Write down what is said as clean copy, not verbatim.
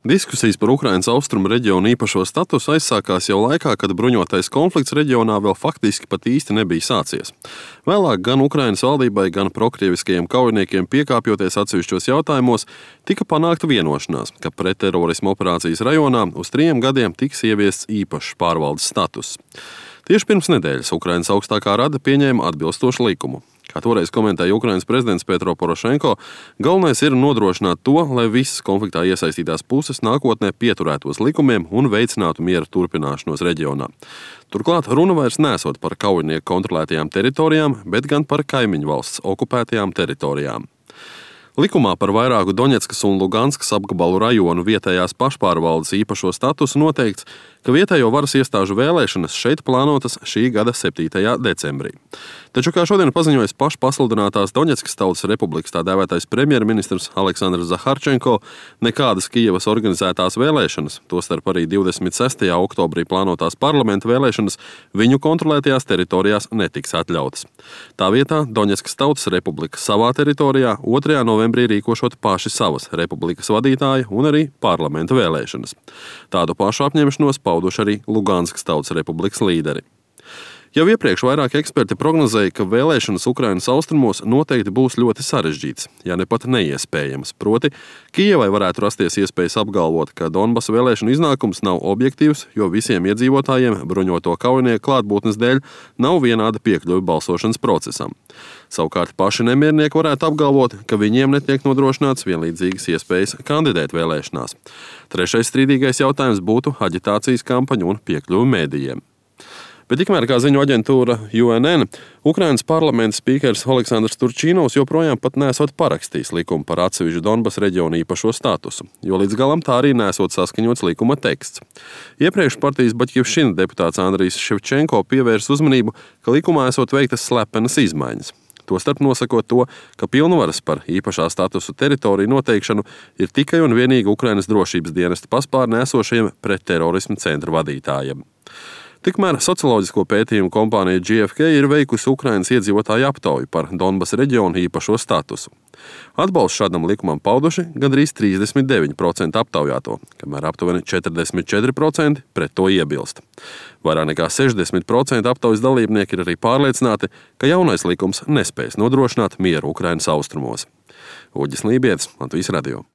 Diskusijas par Ukrainas austrumu reģionu īpašo statusu aizsākās jau laikā, kad bruņotais konflikts reģionā vēl faktiski pat īsti nebija sācies. Vēlāk gan Ukrainas valdībai, gan prokrieviskajiem kaujiniekiem piekāpjoties atsevišķos jautājumos, tika panākta vienošanās, ka pretterorisma operācijas rajonā uz 3 gadiem tiks ieviests īpašs pārvaldes status. Tieši pirms nedēļas Ukrainas augstākā rada pieņēma atbilstošu likumu. Kā toreiz komentēja Ukrainas prezidents Petro Porošenko, galvenais ir nodrošināt to, lai visas konfliktā iesaistītās puses nākotnē pieturētos likumiem un veicinātu miera turpināšanos reģionā. Turklāt runa vairs nesot par kaujinieku kontrolētajām teritorijām, bet gan par kaimiņu valsts okupētajām teritorijām. Likumā par vairāku Doņetskas un Luganskas apgabalu rajonu vietējās pašpārvaldes īpašo statusu noteikts, ka vietējo varas iestāžu vēlēšanas šeit plānotas šī gada 7. decembrī. Taču, kā šodien paziņojas pašpasludinātās Doņetskas Tautas Republikas tā dēvētais premjerministrs Aleksandrs Zaharčenko, nekādas Kijevas organizētās vēlēšanas, tostarp arī 26. oktobrī plānotās parlamenta vēlēšanas, viņu kontrolētajās teritorijās netiks atļautas. Tā vietā Doņetskas Tautas Republika savā teritorijā 2. novembrī rīkošot paši savas republikas vadītāja un arī parlamenta vēlēšanas. Tādu pašu apņemšanos pauduši arī Luganskas Tautas Republikas līderi. Jau iepriekš vairāki eksperti prognozēja, ka vēlēšanas Ukrainas austrumos noteikti būs ļoti sarežģītas, ja ne pat neiespējamas. Proti, Kijevai varētu rasties iespējas apgalvot, ka Donbasa vēlēšanu iznākums nav objektīvs, jo visiem iedzīvotājiem bruņoto kaujinieku klātbūtnes dēļ nav vienāda piekļuve balsošanas procesam. Savukārt paši nemiernieki varētu apgalvot, ka viņiem netiek nodrošināts vienlīdzīgas iespējas kandidēt vēlēšanās. Trešais strīdīgais jautājums būtu aģitācijas kampaņa un piekļuve mēdījiem. Bet tikmēr, kā ziņo aģentūra UNN, Ukrainas parlamenta spīkers Oleksandrs Turčīnovs joprojām pat nesot parakstījis likumu par atsevišķu Donbasa reģionu īpašo statusu, jo līdz galam tā arī nesot saskaņots likuma teksts. Iepriekš partijas Baķivšina deputāts Andrijs Ševčenko pievērs uzmanību, ka likumā esot veiktas slepenas izmaiņas. Tostarp nosakot to, ka pilnvaras par īpašā statusu teritoriju noteikšanu ir tikai un vienīgi Ukrainas drošības dienesta paspārnē esošajiem pretterorisma centra vadītājiem. Tikmēr socioloģisko pētījumu kompānija GfK ir veikusi Ukrainas iedzīvotāju aptauju par Donbasa reģionu īpašo statusu. Atbalstu šādam likumam pauduši gandrīz 39% aptaujāto, kamēr aptuveni 44% pret to iebilst. Vairāk nekā 60% aptaujas dalībnieki ir arī pārliecināti, ka jaunais likums nespēs nodrošināt mieru Ukrainas austrumos. Uģis Lībietis, Latvijas radio.